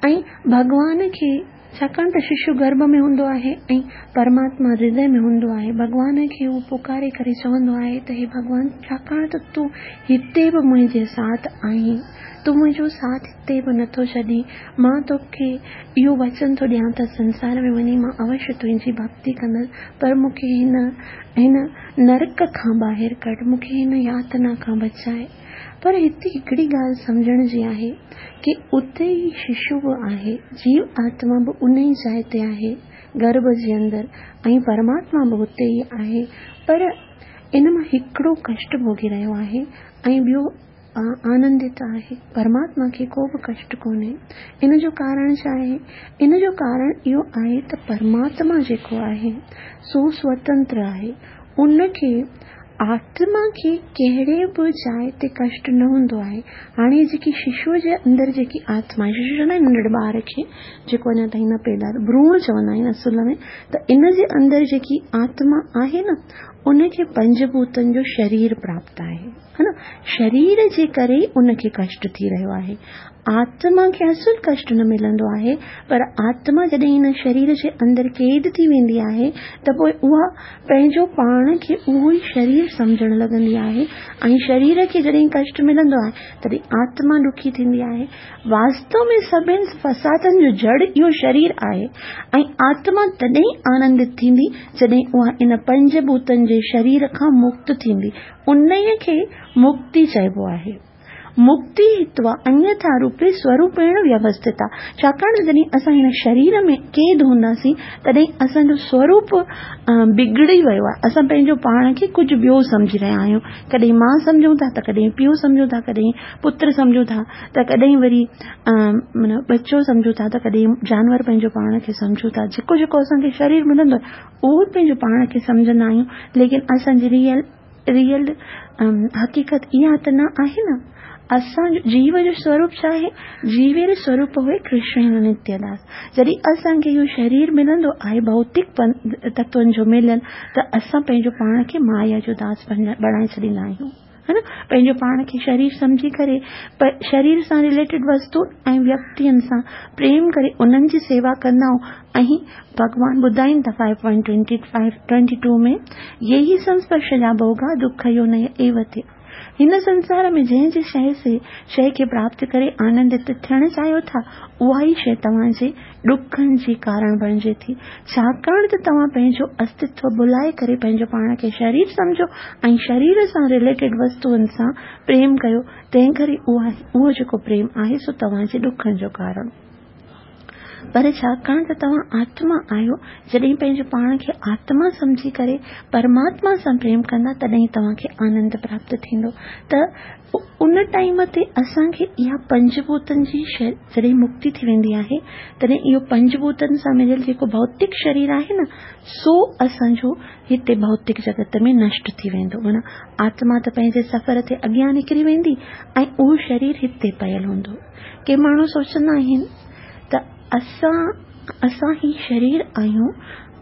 ۽ ڀڳوان کي ڇاڪاڻ ته ششو گرڀ ۾ هوندو آهي ۽ پرماتما هردي ۾ هوندو آهي، ڀڳوان کي هو پڪاري ڪري چوندو آهي ته هي ڀڳوان ڇاڪاڻ ته تون هتي به منهنجي ساٿ آهين، تون منهنجو ساٿ هتي به نٿو ڇڏين، مان توکي اهو وچن ٿو ڏيان ته سنسار ۾ وڃي مان اوشيه تنهنجي ڀڳتي ڪندس، پر مون کي هن هن نرڪ کان ٻاهر ڪڍ، مون کي هن ياتنا کان بچاء. پر هتي هڪڙي ڳالهه سمجهڻ جي آهي ڪي اتي ئي ششو به آهي، جيو آتما به ان ئي جاء تي آهي، گرڀ جي اندر، ۽ پرماتما به اتي ئي آهي، پر ان مان هڪڙو ڪشٽ ڀوڳي رهيو آهي ۽ ٻيو آنندت آهي. پرماتما کي ڪو به ڪشٽ ڪونهي. ان جو ڪارڻ ڇا آهي؟ ان جو ڪارڻ اهو آهي ته پرماتما جيڪو آهي سو سوتنتر آهي. ان کي آتما کي ڪهڙي به جاء تي ڪشٽ نه هوندو آهي. هاڻي جيڪي ششوء جي اندر جيڪي آتما آهي، ششو چوندا آهن ننڍڙي ٻار کي جيڪو اڃا تائين نه پيدا ٿيو، ڀروڻ چوندا آهن اصل ۾ ته ان جي اندر جيڪي آتما آهي نه ان کي پنج ڀوتن جو شرير پراپت آهي. ها نه شرير جي ڪري ئي ان کي ڪشٽ ٿي رهيو آهي. آتما کي اصل ڪشٽ نه ملندو آهي پر آتما جڏهن هن شرير جي اندر قيد ٿي ويندي آهي ته پوء اها پنهنجو پاڻ کي اهو ئي شرير سمجهڻ لڳندي آهي ۽ شرير کي جڏهن ڪشٽ ملندو آهي تڏهن آتما ڏکي ٿيندي آهي. واستو ۾ سڀن فسادن جو جڙ اهو شرير آهي ۽ آتما تڏهن آنندت ٿيندي جڏهن اها ان پنج ڀوتن جي شرير کان مڪت ٿيندي. انهيء کي مڪتي چئبو آهي. مڪتي هتوا انيٿا روپي سوروپيڻ ويوسٿتا. ڇاڪاڻ ته جڏهن اسان هن شرير ۾ قيد هونداسين تڏهن اسان جو سوروپ بگڙي ويو آهي. اسان پنهنجو پاڻ کي ڪجهه ٻيو سمجهي رهيا آهيون. ڪڏهن ماء سمجهون ٿا ته ڪڏهن پيء سمجهون ٿا، ڪڏهن پتر سمجهون ٿا ته ڪڏهن وري معنيٰ ٻچو سمجهون ٿا ته ڪڏهن جانور پنهنجو پاڻ کي سمجهون ٿا. جيڪو جيڪو اسان کي شرير ملندو آهي اهو پنهنجو پاڻ کي سمجهندا آهيون ليڪن اسان جي ريئل ريئل حقيقت اها ته نه آهي نه. اسان جو جيو جو سوروپ ڇا آهي؟ جيوير سوروپ هوئي ڪرشن نتيه داس. جڏهن اسان کي اهو شرير ملندو آهي ڀوتڪ تتون جو مليل ته اسان پنهنجو پاڻ کي مايا جو داس بڻائي ڇڏيندا آهيون. ها نه پنهنجو پاڻ کي شرير سمجهي ڪري شرير سان رليٽيڊ وستو ۽ ويڪتين سان پريم ڪري انهن جي سيوا ڪندا آهيون ۽ ڀڳوان ٻڌائين ٿا five point twenty five twenty two ۾ يهي سنسپرشجا ڀوگا دک يونيه ايو ٿي هن سنسار ۾ جنهن جي شيء سي شيء کي پراپت ڪري آنندت ٿيڻ چاهيو ٿا اها ئي شيء توهان جي ڏکن جي ڪارڻ بڻجي ٿي ڇاڪاڻ ته توهان پنهنجو استتو ڀلائي ڪري پنهنجو پاڻ کي شرير سمجهو ۽ شرير سان رليٽيڊ وستوئن سان پريم ڪيو تنهن ڪري اها اهو جيڪو پريم آهي سو توهان جي ڏکن جو ڪارڻ پر ڇاڪاڻ ته توهان آتما آهيو، جڏهن پنهنجو پاڻ کي آتما سمجهي ڪري پرماتما سان پريم ڪندا تڏهن توهان کي آنند پراپت ٿيندو ته ان ٽائيم تي اسان کي اها پنج ڀوتن جي جڏهن مڪتي ٿي ويندي آهي تڏهن اهو پنج ڀوتن سان مليل جيڪو ڀوتڪ شرير آهي نه سو اسان جو هتي ڀوتڪ جڳت ۾ نشٽ ٿي ويندو معنيٰ آتما ته پنهنجي سفر تي اڳيان نڪري ويندي ۽ اهو شرير هتي پيل هوندو. ڪي ماڻهو سوچندا آهن ته اسان اسان هي شرير آهيون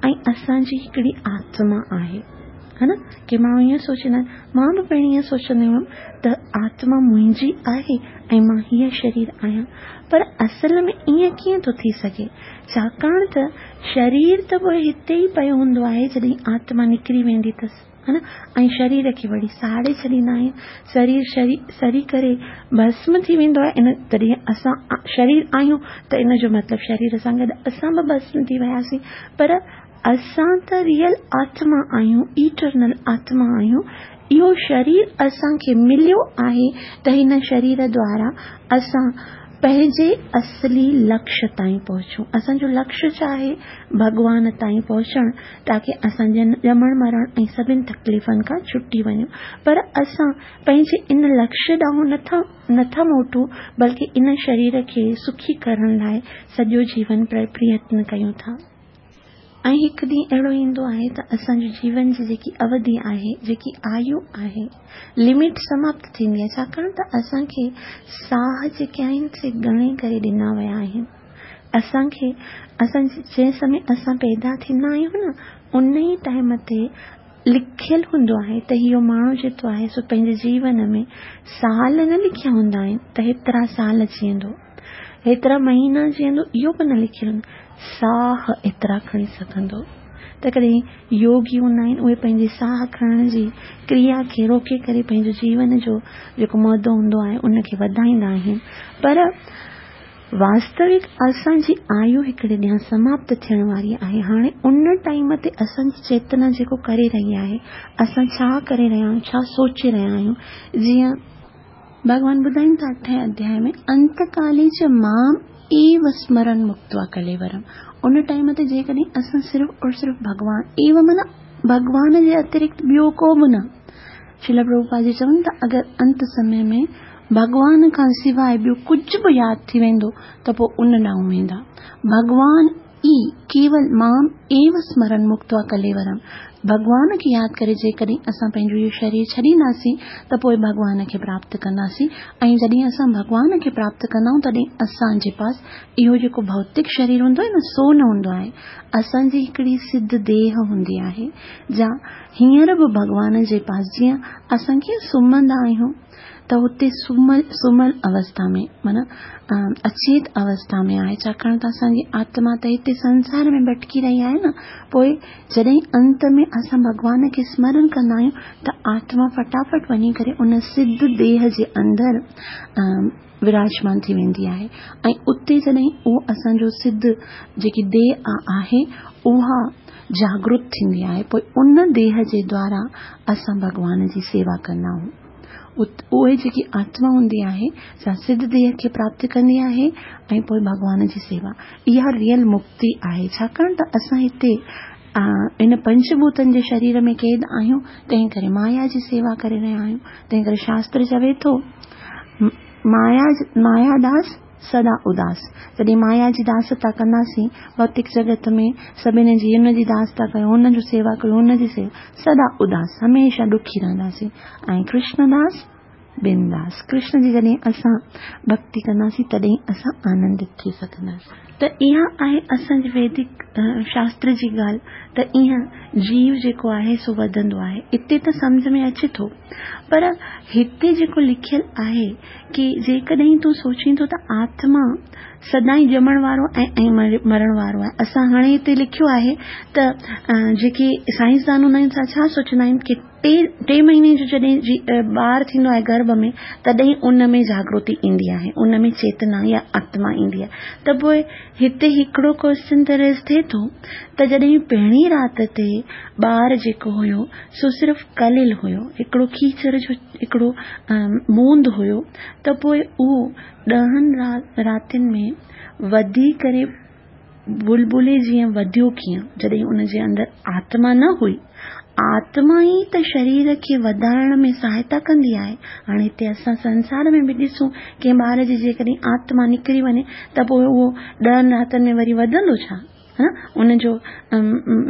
۽ اسان جي هڪڙي آتما آهي. ها نه؟ ڪي ماڻهو ائين سوچيندا آهن، مان به پهرين ائين سوچندي هيم ته آتما منهنجي آهي ۽ مان هيء شرير آهيان. پر اصل ۾ ائين ڪيئن ٿو ٿي سگهي؟ ڇاڪاڻ ته شرير ته پوء هتي ئي پيو هوندو آهي جڏهن آتما نڪري ويندي اٿس، ها نه؟ ۽ شرير کي وري ساڙي ڇڏيندا آهن. شرير سڙي ڪري ڀسم ٿي ويندو آهي. ان تڏهن اسان شرير آهيون ته ان جو مطلب شرير سان گڏ اسان به ڀسم ٿي وياسين. پر اسان ته ريئل آتما آهيون، ايٽرنل آتما آهيون. اهو شرير اسان کي مليو آهي ته هن شرير دوارا اسان پنهنجي اصلي لڪش تائين پهچون. اسان جو لڪش ڇا آهي؟ ڀڳوان تائين پهچڻ تاڪه اسان ڄمڻ مرڻ ۽ سڀن تڪليفن کان ڇٽي وڃون. پر اسان پنهنجي ان لڪش ڏانهن نٿا موٽون بلڪه ان شرير کي سکي ڪرڻ لاء سڄو جيون پريتن ڪيون ٿا. ۽ هڪ ڏينهن اهڙو ايندو آهي ته اسان جي جيون جي جيڪي اوڌي آهي، جيڪي آيو آهي، لمٽ سماپت ٿيندي آهي، ڇاڪاڻ ته اسان کي ساهه جيڪي آهن سي ڳڻي ڪري ڏنا ويا آهن. اسان کي اسان جنهن سمي اسان پيدا ٿيندا آهيون نه ان ئي ٽائيم تي لکيل هوندو آهي ته اهو ماڻهو جيڪو آهي سو پنهنجي جيون ۾ سال نه لکيا هوندا آهن ته هيترا سال جيئندو. هيترا مهينا جيئندو اهو به نه لکيل هوندو ساهه ايترا کڻي سگهندو ته ڪڏهن يوگي هوندا آهن اهي پنهنجي ساهه کڻڻ جي ڪريا کي روڪي ڪري پنهنجو جيون جو جيڪو مدو هوندو آهي ان کي وڌائيندا آهن پر واستوڪ اسان جي آيو هڪڙي ڏينهن سماپت ٿيڻ واري آهي هاڻي ان ٽائيم تي اسان جي چيتنا جيڪو ڪري رهي آهي اسان ڇا ڪري رهيا آهيون ڇا سوچي رهيا آهيون جيئن ڀڳوان ٻڌائين ٿا اٺين اڌياء ۾ انتڪالي چ مام ايو سمرن مڪتوا ڪليورم ان ٽائيم تي جيڪڏهن اسان صرف اور صرف ڀڳوان ايو معنيٰ ڀڳوان جي اترڪت ٻيو ڪو به نه شريل پرڀوپاد جي چون ٿا اگر انت سمي ۾ ڀڳوان کان سواء ٻيو ڪجهه به ياد ٿي ويندو ته پوء ان ڏانهن ويندا ڀڳوان ئي ڪيول مام ايو سمرن مڪتوا ڪليورم، ڀڳوان کي ياد ڪري جيڪڏهن اسان پنهنجو اهو شرير ڇڏينداسين ته پوء ڀڳوان کي پراپت ڪنداسين ۽ جڏهن اسان ڀڳوان کي پراپت ڪندا آهيون تڏهن اسان جي پاس اهو جيڪو ڀوتڪ شرير هوندو آهي نه سو نه هوندو آهي اسان جي هڪڙي سڌ ديهه هوندي آهي جا هينئر به ڀڳوان جي پاس جيئن اسان ڪيئن سمهندا آهيون ته اتي سمهيل سمهيل اوسٿا ۾ معنيٰ اچيت اوسٿا ۾ آهي ڇاڪاڻ ته اسان جي آتما ته هتي سنسار ۾ ڀٽڪي رهي آهي نه پوء جڏهن انت ۾ اسان ڀڳوان کي سمرن ڪندا آهيون ته آتما فٽافٽ وڃي ڪري ان سڌ ديهه جي اندر وراجمان ٿي ويندي آهي ۽ اتي جڏهن اهو اسان جو سڌ جيڪي ديهه آهي اها جاگرت ٿيندي آهي پوء ان ديهه جي دوارا اسان ڀڳوان جي سيوا ڪندا آهيون اهي جيڪي آتما هوندي آهي سا سڌ ديهه کي پراپت ڪندي آهي ۽ پوء ڀڳوان جي سيوا اها ريئل مڪتي آهي ڇاڪاڻ ته اسان هتي ان پنچ ڀوتن جي شرير ۾ قيد آهيون تنهن ڪري مايا جي سيوا ڪري رهيا آهيون تنهن ڪري شاستر چوي ٿو مايا مايا داس سدا اداس جڏهن مايا جي داستا ڪنداسين ڀوتڪ جڳت ۾ سڀني جي هن جي داستا ڪيو هن جو سيوا ڪيو هن جي سيوا سدا اداس هميشه ڏکي رهنداسين ۽ ڪرشن داس بنداس ڪرشن جي جڏهن اسان ڀڪتي ڪنداسين تڏهن اسان آنندت ٿي سگهنداسين. ته اها آهي اسان جي ويدڪ شاستر جي ڳالهه ته ايئن جيو جيڪو آهي سو وڌندو آهي. اتي ته سمجهه ۾ اچي ٿو پر هتي جيڪو لکيل آهي ڪي جيڪڏهن تون سوچين ٿو ته آتما سدائين ڄمڻ وارو ۽ مرڻ وارو آهي. اسان هاڻي هتي لکيو آهي ته جيڪي سائنسدان هوندا آهن سا ڇا سوچيندا آهن ڪي ٽي ٽي مهيني جو جڏهن ٻار ٿيندو آهي گرڀ ۾ تڏهن ان ۾ جاگرتي ايندي آهي ان ۾ چيتنا يا آتما ايندي آهي ته پوء هتي هڪڙو ڪوئسچن ته ريز ٿئي ٿو ته جڏهن پهرين رات تي ٻار جيڪو هيو سو صرف ڪليل هيو هڪڙو کيچر جو هڪڙو بوند هيو ته پوء اهو ڏهن راتين ۾ وڌي ڪري بلبلي جيئن وڌيو ڪيئن؟ جڏهن ان جي اندر آتما نه هئي. آتما ئي ته شرير کي وڌائڻ ۾ سهائتا ڪندي آهي. هاڻي هتي اسان سنسار ۾ به ڏسون ڪنهن ٻار جي جيڪڏهن آتما نڪري وڃي ته پوء اهو ڏهن راتن ۾ وري وڌندو ڇا؟ ان جو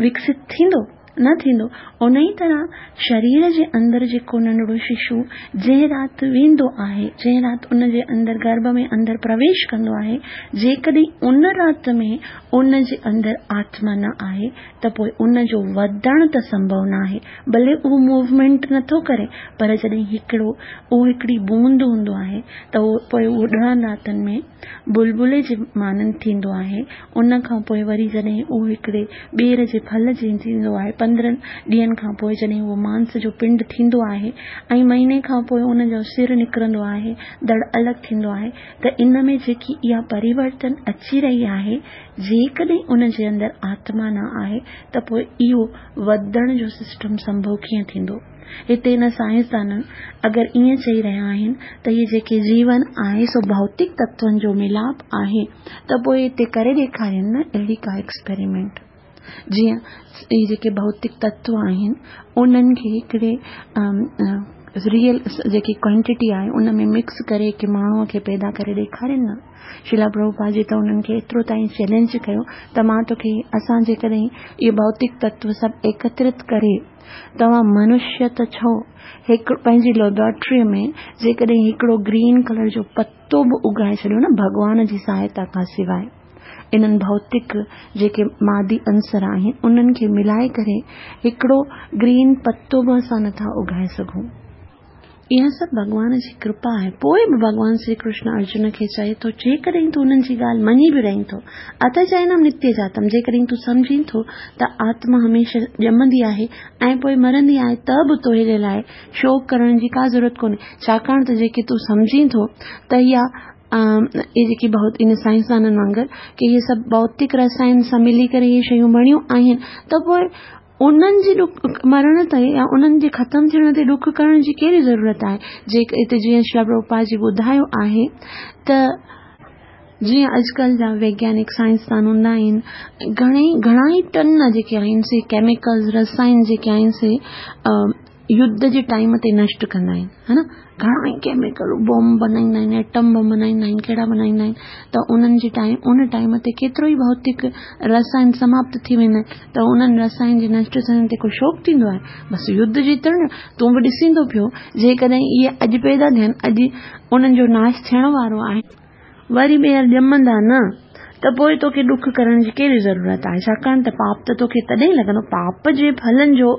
وڪست ٿيندو؟ نه ٿيندو. انهيء طرح شرير جي اندر جيڪو ننڍڙو ششو جنهن رات ويندو آهي، جنهن رات ان جي اندر گرڀ ۾ اندر پرويش ڪندو آهي، جيڪڏهن ان رات ۾ ان جي اندر آتما نه آهي ته پوء ان جو وڌڻ ته سنڀو ناهي، ڀلي اهو موومينٽ نٿو ڪري پر جڏهن هڪڙو اهو هڪڙي بوند هوندو آهي ته اهو پوء اهو ڏهن راتن ۾ بلبلي جي مانند ٿيندو آهي. ان کان پوء وري جڏهن اهو هڪڙي ٻير جي ڦل جيئن ٿيندو آهي. 15 ڏينهن کان پوء جڏهن اهو مانس جو پنڊ ٿيندو آهي ۽ مهيني کان پوء ان جو سر نڪرندو آهي، ڌڙ الڳ ٿيندو آهي ته ان ۾ جيڪي اها پريورتن اچي رهي آهي، جيڪڏهن ان جي اندر آتما نه آهي ته پوء اهو وڌڻ جو سسٽم سنڀو ڪيئن ٿيندو؟ هتي هن سائنسدانن اگر ائين چئي رهيا آهن ته هي جيڪي جيون آهي سو ڀوتڪ تتون جو ميلاپ آهي ته پوء هتي ڪري ڏيکارين نه اهڙي ڪا ايڪسپيريمينٽ جيئن هي جيڪي ڀوتڪ تتو آهن انهن کي هڪڙي ريئل جيڪي ڪوانٽيٽي آهي ان ۾ مڪس ڪري هڪ ماڻهوء کي پيدا ڪري ڏيکارين نه. شريلا پرڀوپاد جي ته انهن کي ايترو تائين چئلينج ڪيو ته مان توکي اسان جيڪڏهن اهي ڀوتڪ تتو سڀ ايڪترت ڪري توهان منشيه ته ڇو هڪ پنهنجي ليبارٽريء ۾ جيڪڏهن هڪڙو گرين ڪلر جو پتو به اگائي ڇڏيو نه ڀڳوان جي سهائتا کان سواء انهن ڀوتڪ جيڪي مادي عنصر آهن انهن کي ملائي ڪري هڪڙو گرين پتو به اسان نٿا اگائي سگهون. اها سڀ ڀڳوان جي ڪرپا آهي. پوء به ڀڳوان شري ڪرشن ارجن کي چئي ٿو، جيڪڏهن تون انهن جي ڳالهه مڃي به رهين ٿو، ات چئينم نتيه جاتم، جيڪڏهن تون سمجهين ٿو ته آتما هميشه ڄمندي آهي ۽ پوء مرندي آهي ته به توهي لاء شوڪ ڪرڻ جي ڪا ضرورت ڪونهي، ڇاڪاڻ ته جيڪي تون سمجهين ٿو ته اها اهي جيڪي ڀوت ان سائنسدانن وانگر ڪي اهي سڀ ڀوتڪ رسائن سان ملي ڪري اهي شيون بڻيون آهن ته پوء انهن جي ڏک مرڻ تي يا انهن جي ختم ٿيڻ تي ڏک ڪرڻ جي ڪهڙي ضرورت آهي؟ جيڪ هتي جيئن شريلا پرڀوپاد جي ٻڌايو آهي ته جيئن اڄڪلهه جا ويگيانڪ سائنسدان هوندا آهن گهڻي گهڻا ئي ٽن جيڪي آهن سي ڪيميڪلز رسائن جيڪي آهن سي يڌ جي ٽائيم تي نشٽ ڪندا آهن ها نه گهڻا ئي ڪيميڪل بم بنائيندا آهن ايٽم بم بنائيندا آهن ڪهڙا بنائيندا آهن ته انهن جي ٽائيم ان ٽائيم تي ڪيترو ئي ڀوتڪ رسائن سماپت ٿي ويندا آهن ته انهن رسائن جي نشٽ ٿيڻ تي ڪو شوڪ ٿيندو آهي بس يڌ جيتڻ تون به ڏسين ٿو پيو جيڪڏهن اهي اڄ پيدا ٿين اڄ انهن جو ناش ٿيڻ وارو آهي وري ٻيهر ڄمندا نه ته پوء توکي ڏک ڪرڻ جي ڪهڙي ضرورت آهي؟ ڇاڪاڻ ته پاپ ته توکي تڏهن لڳندو، پاپ جي ڦلن جو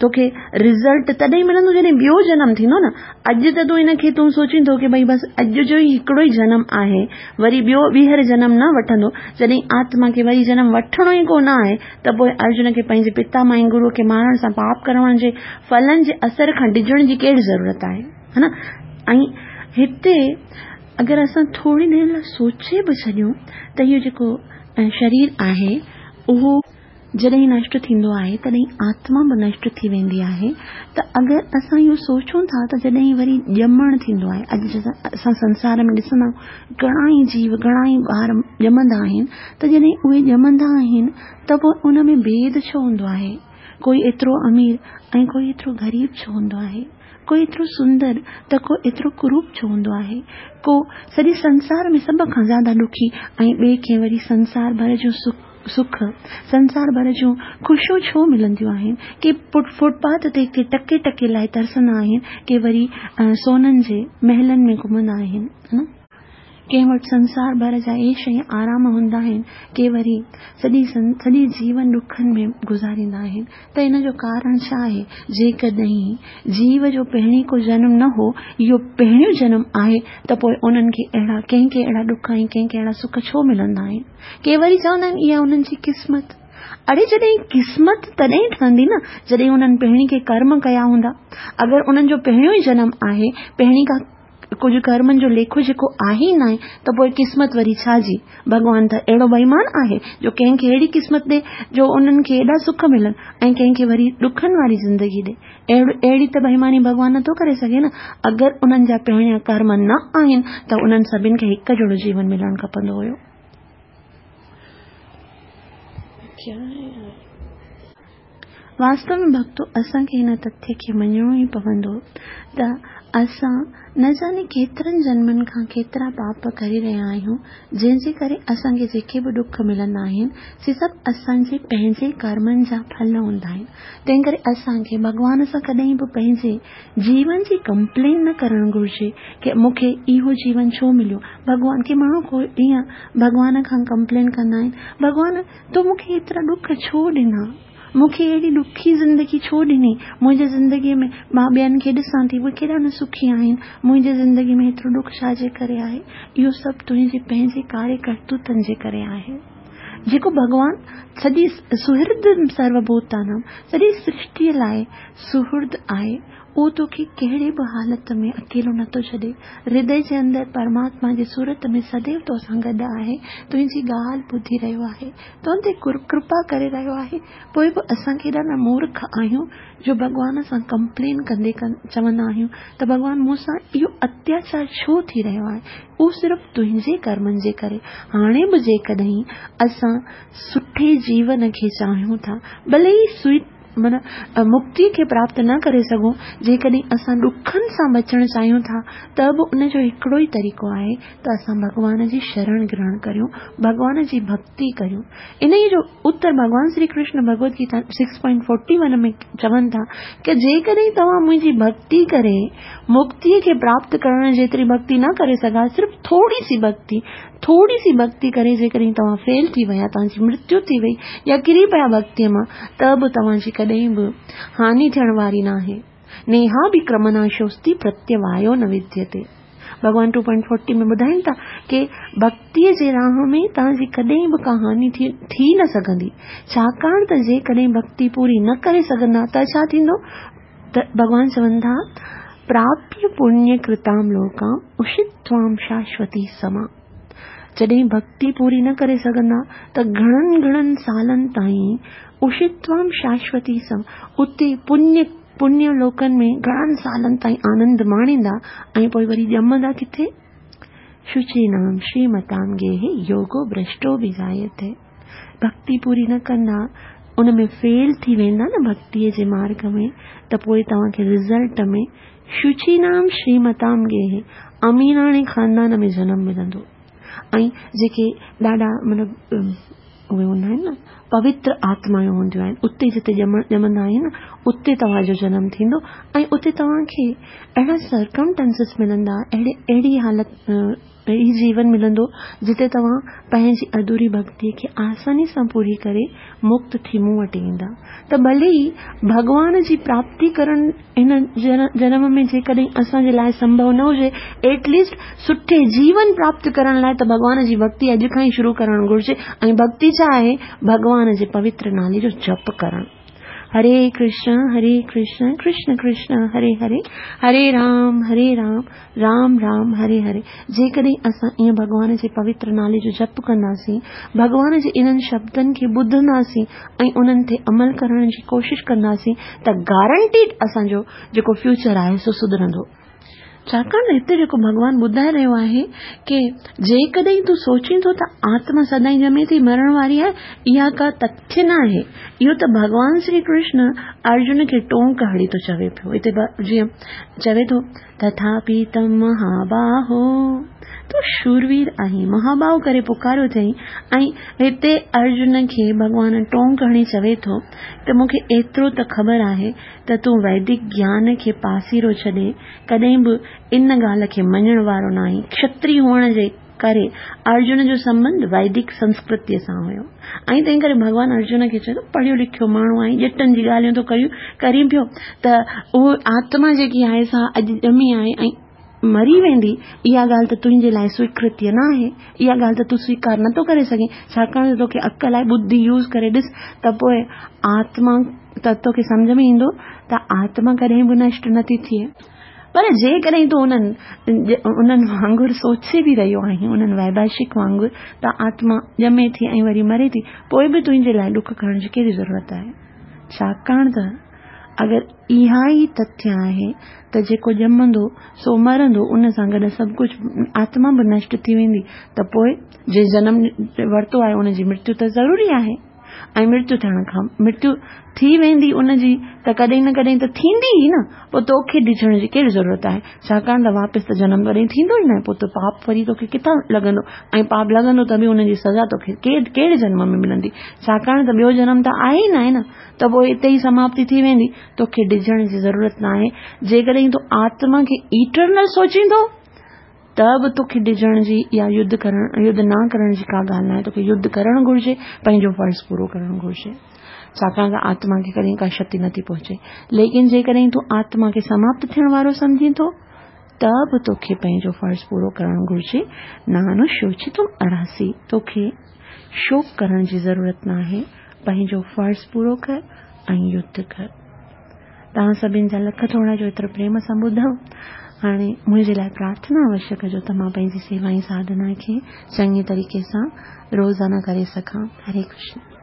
توکي رزلٽ تڏهن ملندو جڏهن ٻيو جنم ٿيندو نه. اڄ ته تون ان کي تون سوچين ٿو ڪي ڀئي بس اڄ جو ئي هڪڙو ئي جنم آهي، وري ٻيو ٻيهر جنم نه وٺندو. جڏهن آتما کي وري جنم وٺڻو ئي ڪو نه آهي ته پوء ارجن کي پنهنجي پتا مائي گروء کي مارڻ سان پاپ ڪرڻ جي ڦلن جي اثر کان ڊڄڻ جي ڪهڙي ضرورت آهي؟ ها نه؟ ۽ هتي اگر اسان ٿوري دير لاء سوچي به ڇڏيون ته اهو جيڪو شرير آهي اهو جڏهن نشٽ ٿيندو آهي تڏهن آتما به نشٽ ٿي ويندي آهي ته اگر اسان اهو سوچون ٿا ته جڏهن وري ڄمڻ ٿيندو آهي اڄ اسان سنسار ۾ ڏسندا آهيون گهڻا ئي جيو گهڻا ئي ٻار ڄمندا آهن ته جڏهن اهي ڄمندا آهن ته پوء ان ۾ ڀيد ڇو هوندو آهي ڪوئي ايترو امير ۽ ڪوئي ايترو غريب ڇو هوندو آهي ڪو ايترو سندر ته ڪو ايترو ڪروپ ڇو هوندو آهي؟ ڪو سڄي سنسار ۾ سڀ کان زياده ڏکي ۽ ٻئي کي وري سنسار ڀر جون سک، سنسار ڀر جون خوشيون ڇو ملنديون آهن؟ ڪي فٽ پاٿ تي ڪي ٽڪي ٽڪي لاء ترسندا آهن، ڪي وري سونن جي محلن ۾ گهمندا آهن. ڪنهن وٽ سنسار ڀر جا عيش ۽ آرام هوندا آهن، ڪي وري سڄي سڄي جيون ڏکن ۾ گذاريندا آهن ته ان جو ڪارڻ ڇا آهي؟ جيڪڏهن جيو جو پهرين ڪو جنم نه هو، اهو پهريون جنم آهي ته پوء انهن کي اهڙا ڪنهن کي اهڙا ڏک ۽ ڪنهن کي اهڙا سک ڇو ملندا آهن؟ ڪي وري چوندا آهن اها انهن جي قسمت. اڙي جڏهن قسمت تڏهن ٺهندي نه جڏهن انهن پهرين ڪي ڪرم ڪيا هوندا. اگر انهن جو پهريون ئي جنم آهي، پهرين ڪا ڪجهه ڪرمن جو ليکو جيڪو آهي ئي ناهي ته پوء قسمت وري ڇا جي؟ ڀڳوان ته اهڙو بيمان آهي جو ڪنهن کي اهڙي قسمت ڏي جو انهن کي ايڏا سک ملن ۽ ڪنهن کي وري ڏکن واري زندگي ڏي. اهڙي ته بيماني ڀڳوان نٿو ڪري سگهي نه. اگر انهن جا پهريان ڪرم نه آهن ته انهن سڀن کي هڪ جهڙو جيون ملڻ کپندو هيو. واستو ۾ ڀڳتو اسان کي هن تٿيه کي مڃڻو ئي پوندو ته اسان نه ڄاڻي ڪيترن جنمن کان ڪيترا پاپ ڪري رهيا آهيون، جنهن جي ڪري اسان کي جيڪي به ڏک ملندا آهن، سي سڀ اسان جي پنهنجي ڪرمن جا ڦل هوندا آهن. تنهن ڪري اسان کي ڀڳوان سان ڪڏهن به پنهنجي جيون جي ڪمپلين نه ڪرڻ گهرجي ڪه مون کي اهو جيون ڇو مليو؟ ڀڳوان ڪي ماڻهو ڪو ائين ڀڳوان کان ڪمپلين ڪندا آهن، ڀڳوان تو مون کي ايترا ڏک ڇو ڏنا؟ مون کي اهڙي ڏکي زندگي ڇو ڏني؟ منهنجي زندگيء ۾ مان ٻين کي ڏسان ٿي، اهي ڪيڏا نه سکي آهن، منهنجي زندگيء ۾ ايترو ڏک ڇا جي ڪري آهي؟ اهو سڀ تنهنجي پنهنجي ڪاري ڪرتوتن جي ڪري آهي. جيڪو ڀڳوان سڄي سهرد سرو ڀوتانام، سڄي سرشٽيء لاء سهرد آهي، اهو توکي ڪهڙي به حالت ۾ اڪيلو نٿو ڇڏي. هردي جي اندر پرماتما جي صورت ۾ سديو تو سان گڏ آهي، تنهنجي ڳالهه ٻڌي رهيو آهي، تون تي ڪرپا ڪري رهيو آهي. پوء به اسان ڪيڏا نه مورک آهيون جو ڀڳوان سان ڪمپلين ڪندي چوندا آهيون ته ڀڳوان مون سان اهو اتياچار ڇو ٿي رهيو آهي؟ اهو صرف تنهنجي ڪرمن جي ڪري. هاڻي به جيڪڏهن اسان سٺي جيون کي چاهيون ٿا، ڀلي ئي سوئٽ معنيٰ مڪتيء کي پراپت نه ڪري سگهون، جيڪڏهن اسان ڏکن سان بچڻ چاهيون ٿا ته به ان جو هڪڙو ئي طريقو آهي ته اسان ڀڳوان جي شرڻ گرهڻ ڪريون، ڀڳوان جي ڀڳتي ڪريون. انهيء جو اتر ڀڳوان شري ڪرشن ڀڳوت گيتا 6.41 ۾ چون ٿا ته جيڪڏهن توهان منهنجي ڀڳتي ڪري مڪتيء کي پراپت ڪرڻ جيتري ڀڳتي نه ڪري سگها، صرف ٿوري سي ڀڳتي، ٿوري سي ڀڳتي ڪري جيڪڏهن توهان فيل ٿي ويا، توهان جي مرتيو ٿي وئي يا ڪري پيا ڀڳتيء مان، ته به توهان جي ڪڏهن به هاني ٿيڻ واري ناهي. نيها به ڪرمناشوستي پرتيوايو نه وديتي. ڀڳوان 2.40 ۾ ٻڌائين ٿا ڪي ڀڳتيء جي راهه ۾ توهان جي ڪڏهن به ڪا هاني ٿي نه سگهندي. ڇاڪاڻ ته جيڪڏهن ڀڳتي پوري نه ڪري سگهندا ته ڇا ٿيندو؟ ته ڀڳوان چون ٿا، پراپيه پڃ ڪرتام لوڪام اشتوام شاشوتي سما. جڏهن ڀڳتي پوري نه ڪري سگهندا ته گهڻن گهڻن سالن تائين اشتوام شاشوتي سم اتي پڃ پڃ لوڪن ۾ گهڻن سالن تائين آنند ماڻيندا ۽ پوء وري ڄمندا ڪٿي؟ شچينام شريمتام گيهي يوگو ڀرشٽو به جايتي. ڀڳتي پوري نه ڪندا، ان ۾ فيل ٿي ويندا نه ڀڳتيء جي مارڳ ۾ ته پوء توهان کي رزلٽ ۾ شچينام شريمتام گيهي اميراڻي خاندان ۾ جنم ملندو ۽ جيڪي ڏاڍا مطلب اهي هوندا آهن نه پوتر آتمايون هونديون آهن اتي جتي ڄمندا آهيون نه اتي توهان جو جنم ٿيندو ۽ اتي توهان کي اهڙا سرڪمٽنسز ملندا اهڙي اهڙي حالت هي جيون ملندو جتي توهان پنهنجي اڌوري ڀڳتيء کي آساني سان پوري ڪري مڪت ٿي مون وٽ ايندا ته ڀلي ئي ڀڳوان جي پراپتي ڪرڻ هن جنم ۾ جيڪڏهن اسان جي لاء سنڀو نه هجي ايٽ ليسٽ سٺي جيون پراپت ڪرڻ لاء ته ڀڳوان جي ڀڳتي اڄ کان ئي شروع ڪرڻ گهرجي ۽ ڀڳتي ڇا آهي؟ ڀڳوان جي پوتر نالي جو جپ ڪرڻ. هري ڪرشن هري ڪرشن ڪرشن ڪرشن هري هري هري رام هري رام رام رام هري هري جيڪڏهن اسان ائين ڀڳوان جي پوتر نالي جو جپ ڪنداسين، ڀڳوان جي انهن شبدن کي ٻڌنداسين ۽ انهن تي عمل ڪرڻ جي ڪوشش ڪنداسين ته گارنٽيڊ اسان جو جيڪو فيوچر آهي سو سڌرندو. ڇاڪاڻ ته هتي جيڪو ڀڳوان ٻڌائي رهيو آهي ڪي جيڪڏهن تون سوچين ٿو ته آتما سدائين ڄمي ٿي مرڻ واري آهي اها ڪا تٿيه نه آهي اهو ته ڀڳوان شري ڪرشن ارجن کي ٽونڪ هڻي ٿو چوي پيو هتي جيئن چوي ٿو تٿاپي تم مهاباهو تون شوروير آهين مهاباهو ڪري پڪاريو اٿئي ۽ هتي ارجن کي ڀڳوان ٽونڪ هڻي چوي ٿو ته مون کي ايترو ته خبر آهي ته تون ويدڪ گيان کي پاسيرو ڇڏي ڪڏهن به ان ڳالهه کي مڃڻ وارو ناهين. کشتري هئڻ جي ڪري ارجن جو سنٻنڌ ويدڪ سنسڪرتيء سان هيو ۽ تنهن ڪري ڀڳوان ارجن کي چيو پڙهيو لکيو ماڻهو آهين ڄٽن جي ڳالهيون ٿو ڪرين پيو ته اهو آتما جيڪي آهي سا اڄ ڄمي آهي ۽ مري ويندي، اها ڳالهه ته تنهنجي لاء سويڪرتيه نه آهي، اها ڳالهه ته تون سويڪار نه ٿو ڪري سگهين، ڇاڪاڻ ته توکي عقل آهي، ٻڌي يوز ڪري ڏس ته پوء آتما ته توکي سمجهه ۾ ايندو ته آتما ڪڏهن به نشٽ نه ٿي ٿئي. پر جيڪڏهن تون انهن انهن وانگر سوچي به رهيو آهين، انهن ويڀاشڪ وانگر ته آتما ڄمي ٿي ۽ وري مري ٿي، پوء به تنهنجي لاء ڏک کڻڻ جي ڪهڙي ضرورت آهي؟ ڇاڪاڻ ته اگر اها ئي تٿيه آهي ته جيڪو ڄمندو سو مرندو، ان سان گڏ سڀ ڪجهه آتما به نشٽ ٿي ويندي ته پوء جنهن جنم ورتو آهي ان جي مرتيو ته ضروري آهي. ۽ مرتيو ٿيڻ کان مرتيو ٿي ويندي ان جي ته ڪڏهن نه ڪڏهن ته ٿيندي ئي نه، پوء توکي ڊڄڻ جي ڪهڙي ضرورت آهي؟ ڇاڪاڻ ته واپس ته جنم ڪڏهن ٿيندو ئي ناهي، پوء ته پاپ وري توکي ڪٿان لڳندو ۽ پاپ لڳندو ته به ان جي سزا توکي ڪهڙي جنم ۾ ملندي؟ ڇاڪاڻ ته ٻيو جنم ته آهي ئي ناهي نه، ته پوء اتي ئي سماپتي ٿي ويندي. توکي ڊڄڻ جي ضرورت ناهي. جيڪڏهن تون آتما کي ايٽرنل سوچيندو ته به توکي ڊڄڻ جي يا يڌ ڪرڻ يڌ نه ڪرڻ جي ڪا ڳالهه ناهي. توکي يڌ ڪرڻ گهرجي، پنهنجو فرض پورو ڪرڻ گهرجي. ڇاڪاڻ ته آتما کي ڪڏهن ڪا شتي نٿي پهچي. ليڪن جيڪڏهن تون آتما کي سماپت ٿيڻ وارو سمجهين ٿو ته به توکي پنهنجو فرض پورو ڪرڻ گهرجي. نانوشوچتم ارهسي، توکي شوڪ ڪرڻ جي ضرورت ناهي. پنهنجو فرض پورو ڪر ۽ يڌ ڪر. توهان سڀن جا لک ٿورا جو ايترو پريم سان ٻڌو. هاڻي منهنجي لاء پرارٿنا اوشيه ڪجو ته مان پنهنجي سيوا ۽ ساڌنا کي چڱي طريقي سان روزانه ڪري سگهان. هري ڪرشن.